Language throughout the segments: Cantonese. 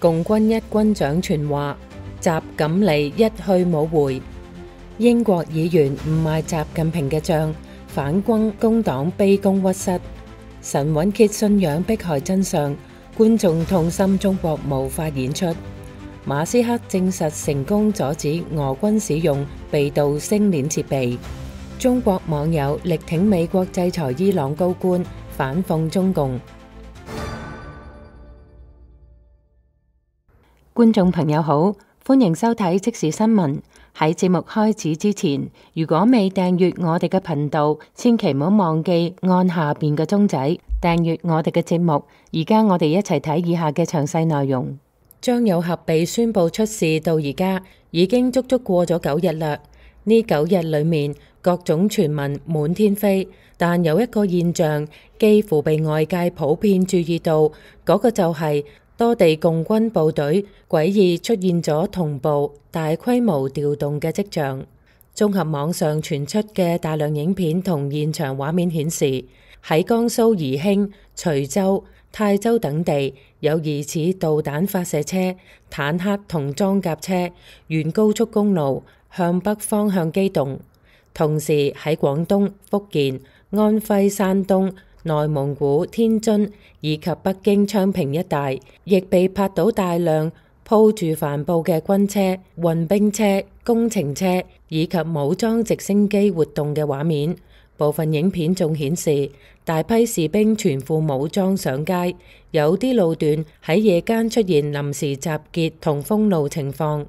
共軍一軍長傳話，習錦離一去冇回。英國議員唔賣習近平嘅帳，反軍工黨卑躬屈膝。神韻揭信仰迫害真相，觀眾痛心中國無法演出。馬斯克證實成功阻止俄軍使用被盜星鏈設備。中國網友力挺美國制裁伊朗高官，反諷中共。觀眾朋友好，歡迎收睇即時新聞。喺節目開始之前，如果未訂閱我哋嘅頻道，千祈唔好忘記按下邊嘅鐘仔訂閱我哋嘅節目。而家我哋一齊睇以下嘅詳細內容。張有俠被宣布出事到而家已經足足過咗9日啦。呢9日裏面，各種傳聞滿天飛，但有一個現象幾乎被外界普遍注意到，嗰個就係多地共軍部隊詭異出現咗同步大規模調動嘅跡象。綜合網上傳出嘅大量影片同現場畫面顯示，喺江蘇宜興、徐州、泰州等地有疑似導彈發射車、坦克同裝甲車沿高速公路向北方向機動。同時喺廣東、福建、安徽、山東、內蒙古、天津以及北京昌平一帶，亦被拍到大量鋪住帆布嘅軍車、運兵車、工程車以及武裝直升機活動嘅畫面。部分影片仲顯示大批士兵全副武裝上街，有啲路段喺夜間出現臨時集結同封路情況。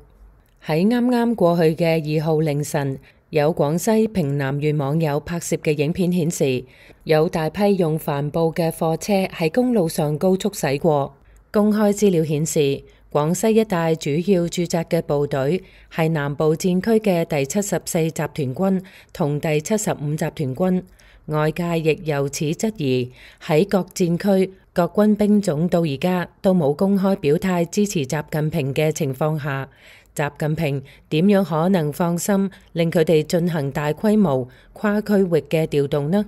喺啱啱過去嘅2號凌晨，有廣西平南縣網友拍攝嘅影片顯示，有大批用帆布嘅貨車喺公路上高速駛過。公開資料顯示，廣西一帶主要駐紮嘅部隊係南部戰區嘅第74集團軍同第75集團軍。外界亦由此質疑，喺各戰區各軍兵種到而家都冇公開表態支持習近平嘅情況下，習近平點樣可能放心令佢哋進行大規模跨區域嘅調動呢？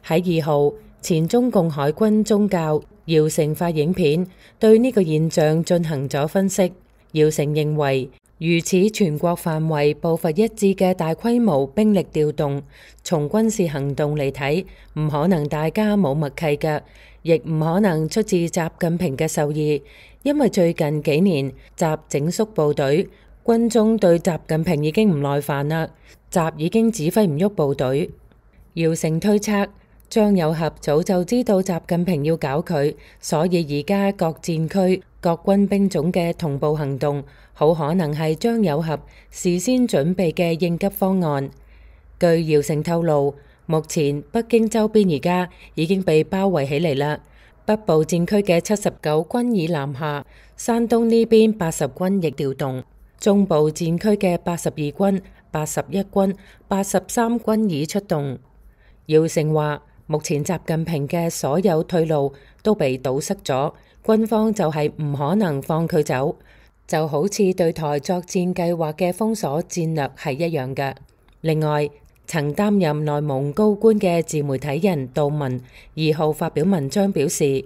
喺2號，前中共海軍中校姚成發影片對呢個現象進行咗分析。姚成認為，如此全國範圍步伐一致嘅大規模兵力調動，從軍事行動嚟睇，唔可能大家冇默契嘅，亦唔可能出自習近平嘅授意。因為最近幾年習整肅部隊，軍中對習近平已經唔耐煩啦，習已經指揮唔喐部隊。姚成推測，張有俠早就知道習近平要搞佢，所以而家各戰區各軍兵種嘅同步行動，好可能係張有俠事先準備嘅應急方案。據姚成透露，目前北京周邊而家已經被包圍起嚟啦。北部戰區嘅79軍已南下，山東呢邊80軍亦調動，中部戰區嘅82軍、81軍、83軍已出動。姚成話，目前習近平嘅所有退路都被堵塞咗，軍方就係唔可能放佢走，就好似對台作戰計劃嘅封鎖戰略係一樣嘅。另外，曾擔任內蒙高官嘅自媒體人杜文2號發表文章表示，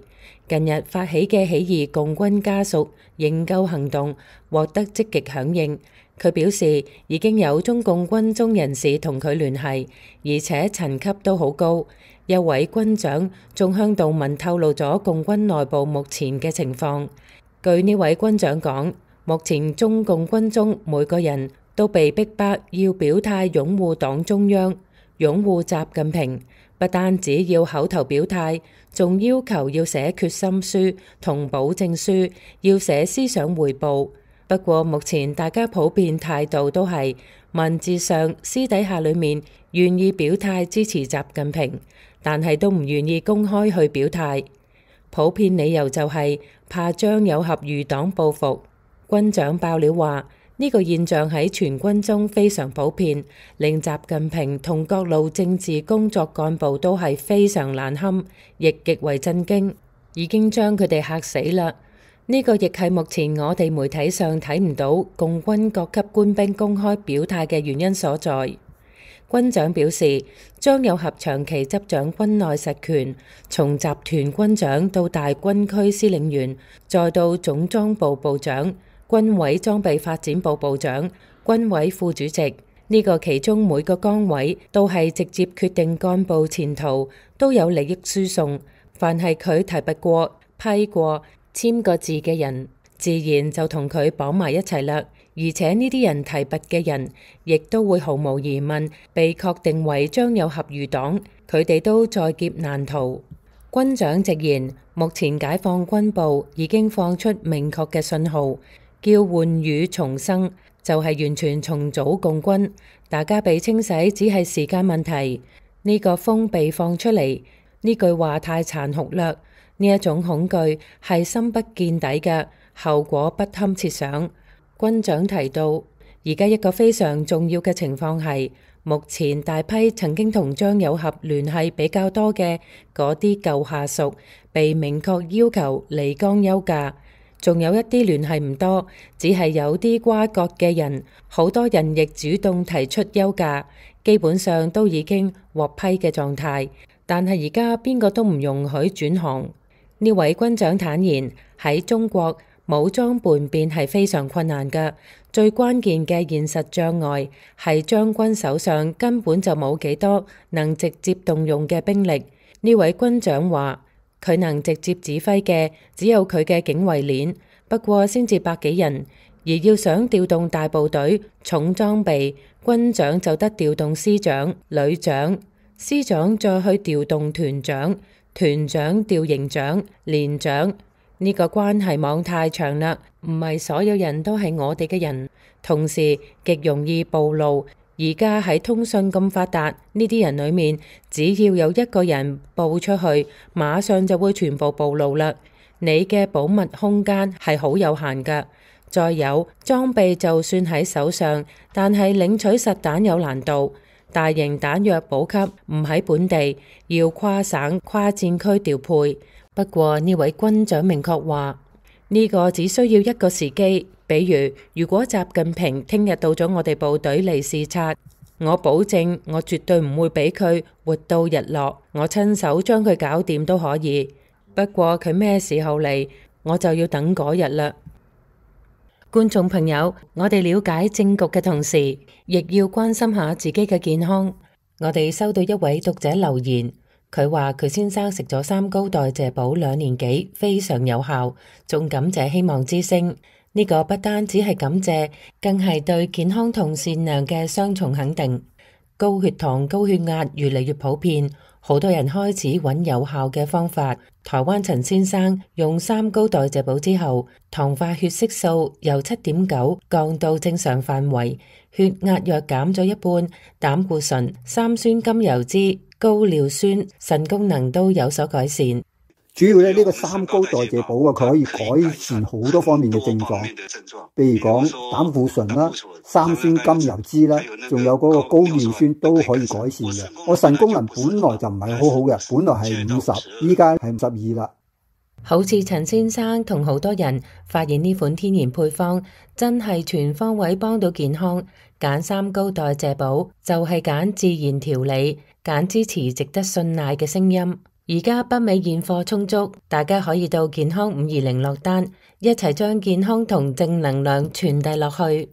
近日發起嘅起義共軍家屬營救行動獲得積極響應。佢表示已經有中共軍中人士同佢聯繫，而且層級都好高。一位軍長仲向杜文透露咗共軍內部目前嘅情況。據呢位軍長講，目前中共軍中每個人都被逼迫要表態擁護黨中央、擁護習近平，不單止要口頭表態，仲要求要寫決心書同保證書，要寫思想彙報。不過目前大家普遍態度都係文字上、私底下裏面願意表態支持習近平，但係都唔願意公開去表態。普遍理由就係怕張有俠餘黨報復。軍長爆料話，呢個現象喺全軍中非常普遍，令習近平同各路政治工作幹部都係非常難堪，亦極為震驚，已經將佢哋嚇死啦。呢個亦係目前我哋媒體上睇唔到共軍各級官兵公開表態嘅原因所在。軍長表示，張又俠長期執掌軍內實權，從集團軍長到大軍區司令員，再到總裝部部長、軍委裝備發展部部長、軍委副主席。呢個其中每個崗位都係直接決定幹部前途，都有利益輸送。凡係佢提拔過、批過、簽過字嘅人，自然就同佢綁埋一齊啦。而且呢啲人提拔嘅人，亦都會毫無疑問被確定為張又俠餘黨，佢哋都在劫難逃。軍長直言，目前解放軍部已經放出明確嘅信號，叫喚汝重生，就係完全重組共軍，大家被清洗只係時間問題。呢個風被放出嚟，呢句話太殘酷啦，呢一種恐懼係深不見底嘅，後果不堪設想。軍長提到，而家一個非常重要嘅情況係，目前大批曾經同張又俠聯繫比較多嘅嗰啲舊下屬，被明確要求離崗休假，仲有一啲聯繫唔多，只係有啲瓜葛嘅人，好多人亦主動提出休假，基本上都已經獲批嘅狀態。但係而家邊個都唔容許轉行。呢位軍長坦言，喺中國武裝叛變係非常困難嘅，最關鍵嘅現實障礙係將軍手上根本就冇幾多能直接動用嘅兵力。呢位軍長話，佢能直接指揮嘅只有佢嘅警衛鏈，不過先至百幾人，而要想調動大部隊、重裝備，軍長就得調動師長、旅長，師長再去調動團長，團長調營長、連長。呢個關係網太長啦，唔係所有人都係我哋嘅人，同時極容易暴露。而家喺通訊咁發達，呢啲人裏面，只要有一個人報出去，馬上就會全部暴露啦。你嘅保密空間係好有限㗎。再有裝備就算喺手上，但係領取實彈有難度，大型彈藥補給唔喺本地，要跨省跨戰區調配。不過呢位軍長明確話，呢個只需要一個時機，比如果習近平聽日到咗我哋部隊嚟視察，我保證我絕對唔會俾佢活到日落，我親手將佢搞掂都可以。不過佢咩時候嚟，我就要等嗰日啦。觀眾朋友，我哋了解政局嘅同時，亦要關心下自己嘅健康。我哋收到一位讀者留言。佢話佢先生食咗三高代謝補2年幾，非常有效，仲感謝希望之聲。呢個不單只係感謝，更係對健康同善良嘅雙重肯定。高血糖、高血壓越嚟越普遍，好多人開始揾有效嘅方法。台灣陳先生用三高代謝補之後，糖化血色素由7.9降到正常範圍，血壓藥減咗一半，膽固醇、三酸甘油脂、高尿酸、腎功能都有所改善。主要呢個三高代謝補佢可以改善好多方面嘅症狀，譬如講膽固醇啦、三酸甘油脂啦，仲有嗰個高尿酸都可以改善嘅。我腎功能本來就唔係好好嘅，本來係50，依家係52啦。好似陳先生同好多人發現呢款天然配方真係全方位幫到健康，揀三高代謝補就係揀自然調理，揀支持值得信賴嘅聲音。而家北美現貨充足，大家可以到健康520落單，一齊將健康同正能量傳遞落去。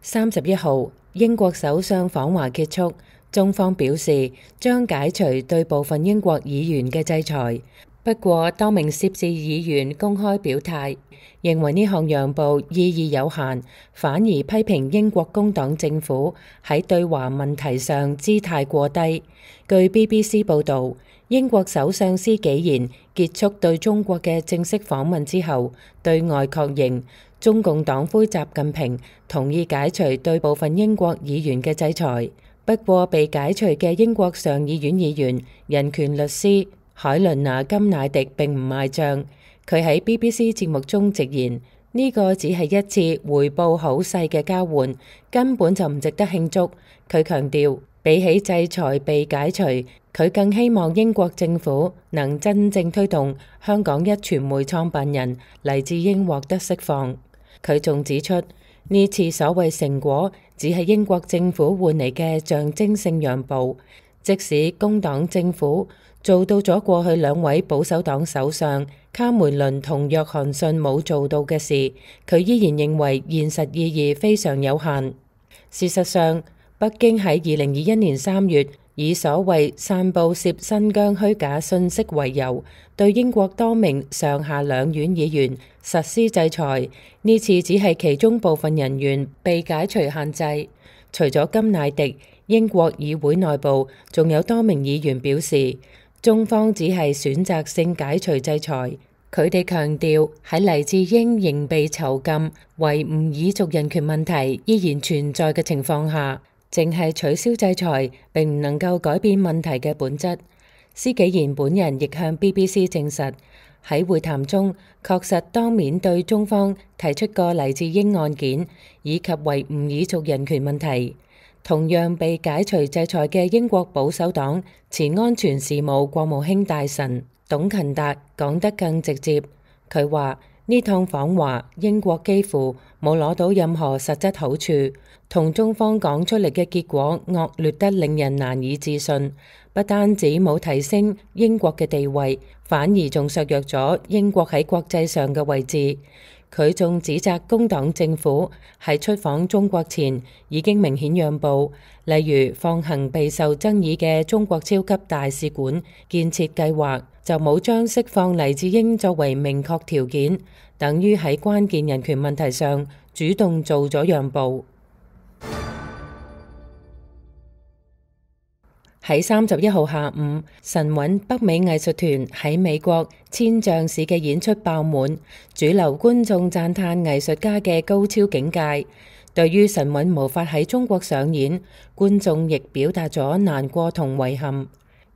31號，英國首相訪華結束，中方表示將解除對部分英國議員嘅制裁。不過，多名涉事議員公開表態，認為呢項讓步意義有限，反而批評英國工黨政府喺對華問題上姿態過低。據 BBC 報導，英國首相施紀賢結束對中國嘅正式訪問之後，對外確認中共黨魁習近平同意解除對部分英國議員嘅制裁。不過，被解除嘅英國上議院議員、人權律師海倫娜金乃迪並唔賣賬，佢喺 BBC 節目中直言，呢個只係一次回報好細嘅交換，根本就唔值得慶祝。佢強調，比起制裁被解除，佢更希望英國政府能真正推動香港壹傳媒創辦人黎智英獲得釋放。佢仲指出，呢次所謂成果只係英國政府換嚟嘅象徵性讓步，即使工黨政府做到咗過去兩位保守黨首相卡梅倫同約翰遜冇做到嘅事，佢依然認為現實意義非常有限。事實上，北京喺2021年3月以所謂散佈涉新疆虛假信息為由，對英國多名上下兩院議員實施制裁。呢次只係其中部分人員被解除限制。除咗甘迺迪，英國議會內部仲有多名議員表示，中方只係選擇性解除制裁。佢哋強調喺黎智英仍被囚禁、維吾爾族人權問題依然存在嘅情況下，淨係取消制裁並唔能夠改變問題嘅本質。施紀賢本人亦向 BBC 證實，喺會談中確實當面對中方提出過黎智英案件以及維吾爾族人權問題。同樣被解除制裁嘅英國保守黨前安全事務國務卿大臣董勤達講得更直接，佢話呢趟訪華，英國幾乎冇攞到任何實質好處，同中方講出嚟嘅結果惡劣得令人難以置信，不單止冇提升英國嘅地位，反而仲削弱咗英國喺國際上嘅位置。佢仲指責工黨政府喺出訪中國前已經明顯讓步，例如放行備受爭議嘅中國超級大使館建設計劃，就冇將釋放黎智英作為明確條件，等於喺關鍵人權問題上主動做咗讓步。喺31號下午，神韻北美藝術團喺美國千象市嘅演出爆滿，主流觀眾讚嘆藝術家嘅高超境界。對於神韻無法喺中國上演，觀眾亦表達咗難過同遺憾。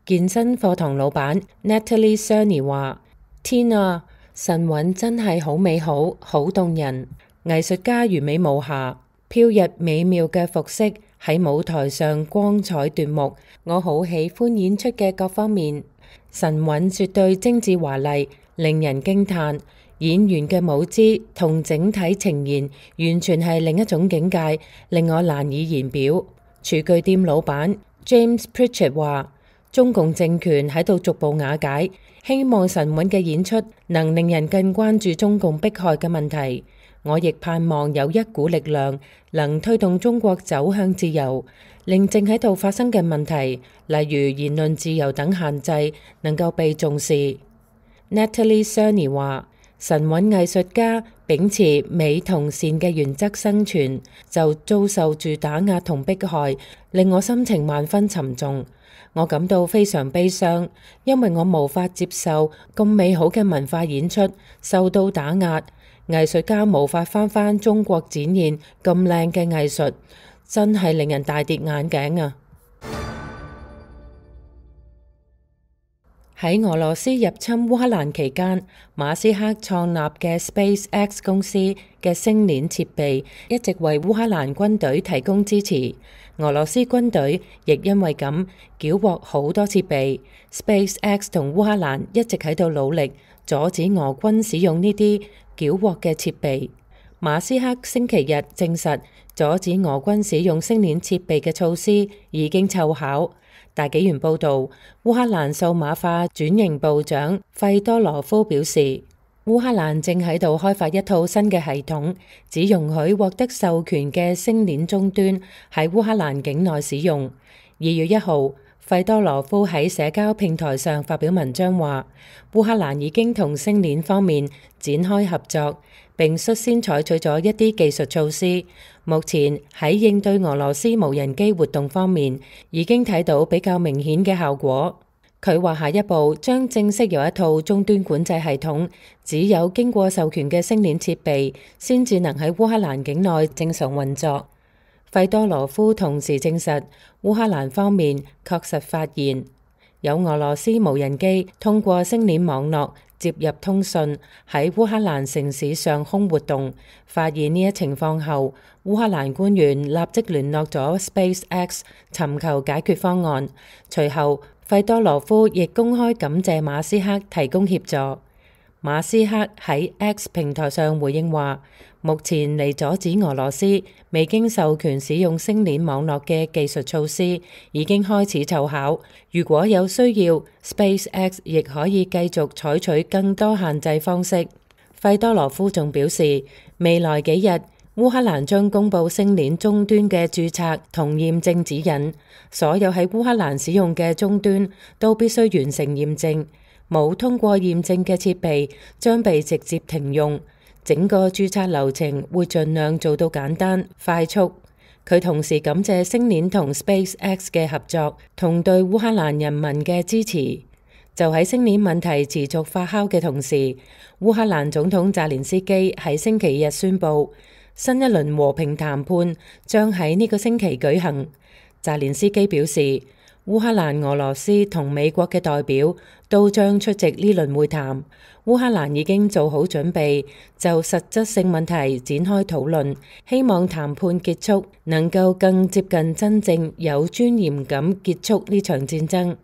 健身課堂老闆 Natalie Cerny 話：天啊，神韻真係好美好，好動人，藝術家完美無瑕，飄逸美妙嘅服飾喺舞台上光彩奪目，我好喜歡演出嘅各方面。神韻絕對精緻華麗，令人驚嘆。演員嘅舞姿同整體呈現完全係另一種境界，令我難以言表。廚具店老闆 James Pritchett 話：中共政權喺度逐步瓦解，希望神韻嘅演出能令人更關注中共迫害嘅問題。我亦盼望有一股力量能推動中國走向自由，令正喺度發生嘅問題，例如言論自由等限制，能夠被重視。Natalie Cerny 話：神韻藝術家秉持美同善嘅原則生存，就遭受住打壓同迫害，令我心情萬分沉重。我感到非常悲傷，因為我無法接受咁美好嘅文化演出受到打壓。藝術家無法返中國展現咁靚嘅藝術，真係令人大跌眼鏡啊！喺俄羅斯入侵烏克蘭期間，馬斯克創立嘅 SpaceX 公司嘅星鏈設備一直為烏克蘭軍隊提供支持。俄羅斯軍隊亦因為咁繳獲好多設備。SpaceX 同烏克蘭一直喺度努力阻止俄軍使用呢啲繳獲嘅設備。馬斯克星期日證實，阻止俄軍使用星鏈設備嘅措施已經奏效。大紀元報導，烏克蘭數碼化轉型部長費多羅夫表示，烏克蘭正喺度開發一套新嘅系統，只容許獲得授權嘅星鏈終端喺烏克蘭境內使用。2月1號，費多羅夫喺社交平台上發表文章話，烏克蘭已經同星鏈方面展開合作，並率先採取咗一啲技術措施。目前喺應對俄羅斯無人機活動方面，已經睇到比較明顯嘅效果。佢話下一步將正式有一套終端管制系統，只有經過授權嘅星鏈設備，先至能喺烏克蘭境內正常運作。費多羅夫同時證實，烏克蘭方面確實發現有俄羅斯無人機通過星鏈網絡接入通訊，喺烏克蘭城市上空活動。發現呢一情況後，烏克蘭官員立即聯絡咗 SpaceX 尋求解決方案。隨後，費多羅夫亦公開感謝馬斯克提供協助。馬斯克喺 X 平台上回應話，目前嚟阻止俄羅斯未經授權使用星鏈網絡嘅技術措施已經開始奏效。如果有需要， SpaceX 亦可以繼續採取更多限制方式。費多羅夫仲表示，未來幾日烏克蘭將公布星鏈終端嘅註冊同驗證指引，所有喺烏克蘭使用嘅終端都必須完成驗證，冇通過驗證嘅設備將被直接停用。整個註冊流程會盡量做到簡單快速。佢同時感謝星鏈同 SpaceX 嘅合作同對烏克蘭人民嘅支持。就喺星鏈問題持續發酵嘅同時，烏克蘭總統澤連斯基喺星期日宣布，新一輪和平談判將喺呢個星期舉行。澤連斯基表示，烏克蘭、俄羅斯同美國嘅代表都將出席呢輪會談。烏克蘭已經做好準備，就實質性問題展開討論，希望談判結束能夠更接近真正有尊嚴咁結束呢場戰爭。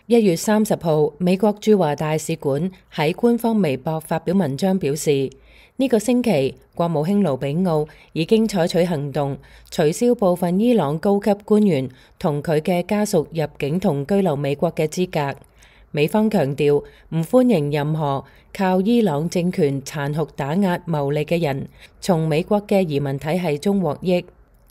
1月30號，美國駐華大使館喺官方微博發表文章表示，呢個星期國務卿盧比奧已經採取行動，取消部分伊朗高級官員同佢嘅家屬入境同居留美國嘅資格。美方強調唔歡迎任何靠伊朗政權殘酷打壓牟利嘅人從美國嘅移民體系中獲益。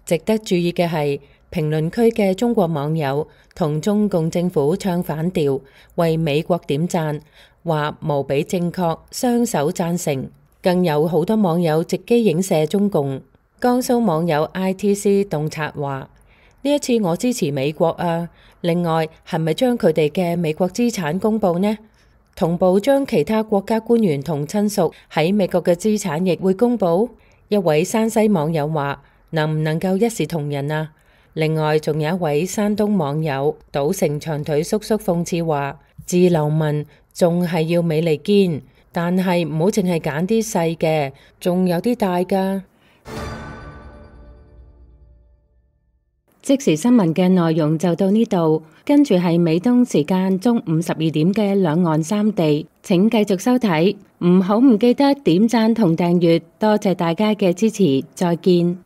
值得注意嘅係，評論區嘅中國網友同中共政府唱反調，為美國點讚，話無比正確，雙手贊成。更有好多網友直擊影射中共。江蘇網友 ITC 洞察話：呢一次我支持美國啊！另外，係咪將佢哋嘅美國資產公佈呢？同步將其他國家官員同親屬喺美國嘅資產亦會公佈？一位山西網友話：能唔能夠一視同仁啊？另外，仲有一位山東網友賭城長腿叔叔諷刺話：自流民仲係要美利堅。但係唔好淨係揀啲細嘅，仲有啲大㗎。即時新聞嘅內容就到呢度，跟住係美東時間中午12點嘅兩岸三地，請繼續收睇，唔記得點讚同訂閱，多謝大家嘅支持，再見。